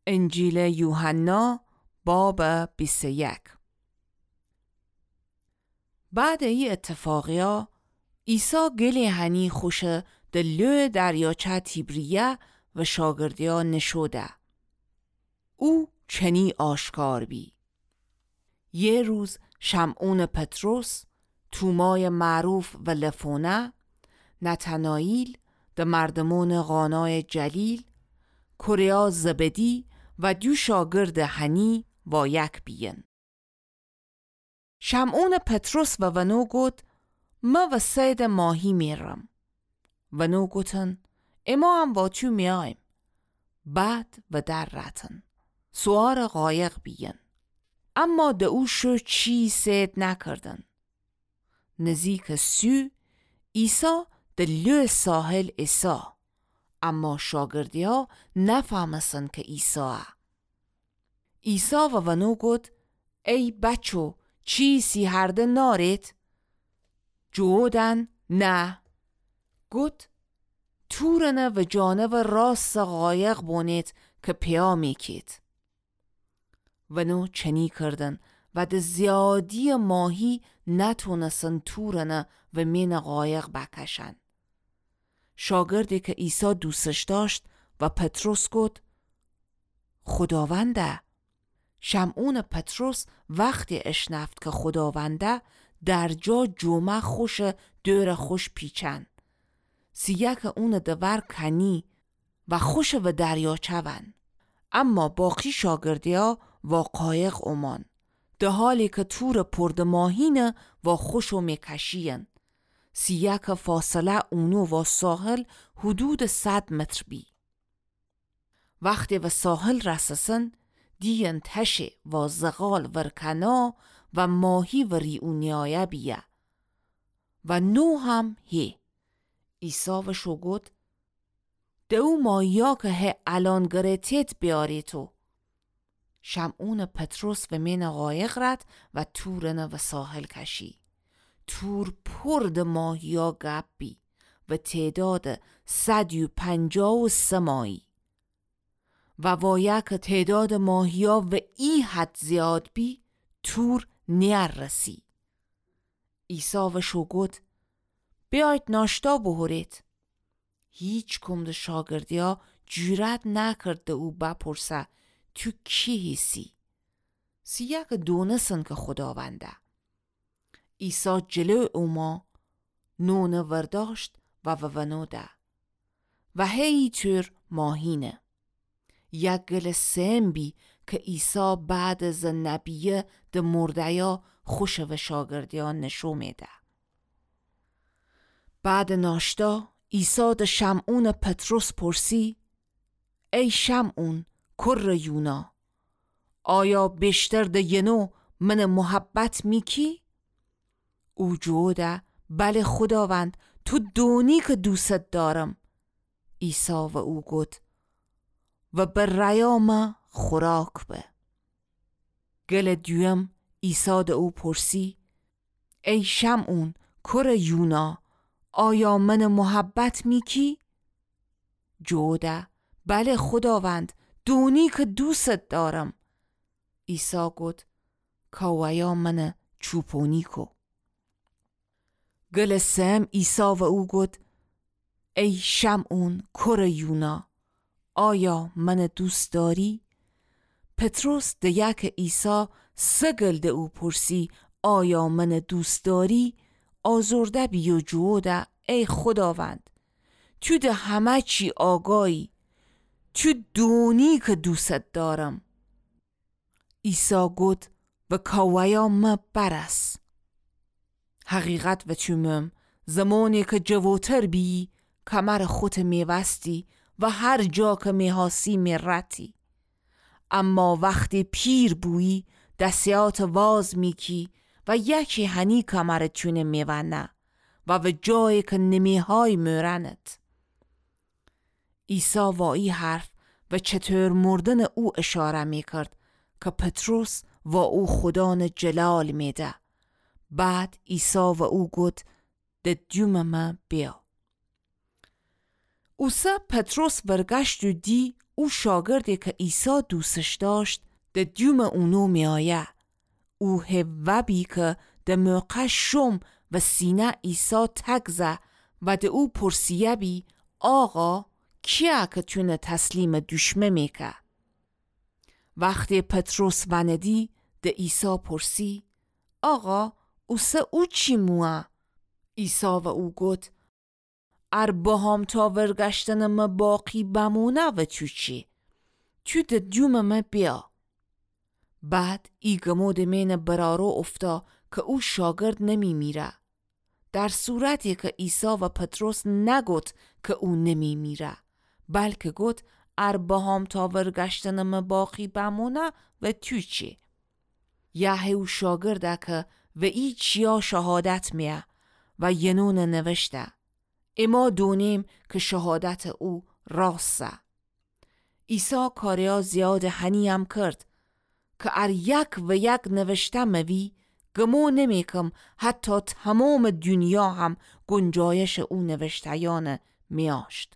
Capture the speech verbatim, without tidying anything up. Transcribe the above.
انجیلٚ یوحنا، بابٚ بیست و یک. بعدٚ ای ایتفاقیا، عیسی گلی هنی خوشٚ د لویٚ دریاچه تیبریه و شاگردیا نشو ده. او چنی آشکار بی. یه روز شمعونٚ پطرس، تومایٚ معروف و لفونه، نتناییل، د مردمونٚ قانایٚ جلیل، کره‌یا زبدی و دو شاگردٚ هنی وایک بیین. شمعونٚ پطرس و ونو گفت: مه و صیدٚ ماهی میرم. ونو گفتن: اماهم وا تو میایم. بعد و در رتن، سوارٚ قایق بیین. اما د او شو چی صید نکردن. نزیکٚ سو، عیسی د لویٚ ساحل ایسا، اما شاگردیا نفهمستن کی عیسایه. عیسی و ونو گفت: ای بچو، چیسی هرده نارید؟ جوودن: نه. گفت: تورنه و جانبٚ راستٚ قایق بونید کی پیامی کید. ونو چنی کردن و د زیادییٚ ماهی نتونستن تورنه و مینٚ قایق بکشن. شاگردی کی عیسی دوستش داشت و پطرس گفت: خوداونده. شمعونٚ پطرس وختی اشنفت کی خوداونده، درجا جومه خوشٚ دورٚ خوش پیچن. سیه‌که اونٚ دور کنی و خوشٚ و دریاچه ون. اما باقی شاگردیا وا قایق اومان، د حالی کی تورٚ پر د ماهینه وا خوشٚ می کشیین. سیه‌که فاصله اونو وا ساحل حدودٚ صد متر بی. وختی و ساحل رسسن، دیین تشه وا زغال ورکنه و ماهی وری او نیایه بیه. و نو هم هی. عیسی وشو گفت: د او ماهیا کی هی الأن گره‌تید بیاریدو. شمعونٚ پطرس و مینٚ قایق رد و تورنه و ساحل کشی. تور پر د ماهیا گپ بی و تعدادٚ صد و پنجاه و سه مایی. و وایه کی تعدادٚ ماهیا و ای حد زیاد بی، تور نیررسی. عیسی وشو گفت: بیاید ناشتا بوخورید. هیچکم د شاگردیا جرأت نکرد د او بپرسه: تو کی هیسی؟ سیه‌که دونسن کی خوداونده. عیسی جلو اومو، نونٚ ورداشت و و ونو ده. و هیطور ماهینه. یک گلٚ سئم بی کی عیسی بعد از نبیه د مرده‌یا خوشٚ و شاگردیا نشو میده. بعدٚ ناشتا، عیسی د شمعونٚ پطرس پرسی: ای شمعون، کرٚ یونا، آیا بیشتر د ینو منٚ محبت میکی؟ او جوده: بله خوداوند، تو دونی کی دوستت دارم. عیسی و او گفت: و به ریا مه خوراک به. گلٚ دویم، عیسی د او پرسی: ای شمعون، کرٚ یونا، آیا منٚ محبت میکی؟ جوده: بله خوداوند، دونی کی دوستت دارم. عیسی گفت: کاوه‌یا منٚ چوپونی کو. گلٚ سئم، عیسی و او گفت: ای شمعون، کرٚ یونا، آیا منٚ دوست داری؟ پطرس ده‌یه کی عیسی سه گل د او پرسی: آیا منٚ دوست داری؟ آزرده بی و جوده: ای خوداوند، تو د همه چی آگاهی، تو دونی کی دوستت دارم. عیسی گفت: و کاوه‌یا مه برس. حقیقت وتو مم، زمانی کی جووتر بیی، کمرٚ خوتٚ میوستی و هر جا کی میخواستی میرتی. اما وختی پیر بویی، دسیاتٚ واز میکی و یکی هنی کمرٚ تونه میونه و و جایی کی نمیخوای مورنت. عیسی وا ای حرف و چطور مردنٚ او اشاره میکرد کی پطرس وا او خودانٚ جلال میده. بعد عیسی و او گفت: د دومٚ مه بیا. اوسه پطرس ورگشت و دی او شاگردٚ که عیسی دوستش دأشت، د دیومٚ اونو میأیه. او هی وأبی که د موقع شوم و سینه عیسی تک زه و د او پرسیه‌بی: آقا، کیه که تونه تسلیمٚ دوشمه میکه؟ وختی پطرس وأندی، د عیسی پرسی: آقا، اوسه او چی مویه؟ عیسی و او گفت: ار بهام تا ورگشتنٚ مه باقی بمونه و تو چی؟ تو د دیومٚ مه بیأ. بعد ای گمو د مئن برارو اوفتا که او شاگرد نمیمیره. در صورتی که عیسی و پطرس نگفت که او نمیمیره، بلکه گفت: ار بهام تا ورگشتنٚ مه باقی بمونه و تو چی؟ یهی او شاگرده که و ای چیا شهادت میه و ینون نوشته. اما دونیم که شهادتٚ او راستٚ. عیسی کاریا زیادٚ هنی‌یم کرد که ار یک و یک نوشته موی، گمو نمیکم حتی تمامٚ دونیا هم گنجایشٚ او نوشته‌یأنٚ میأشت.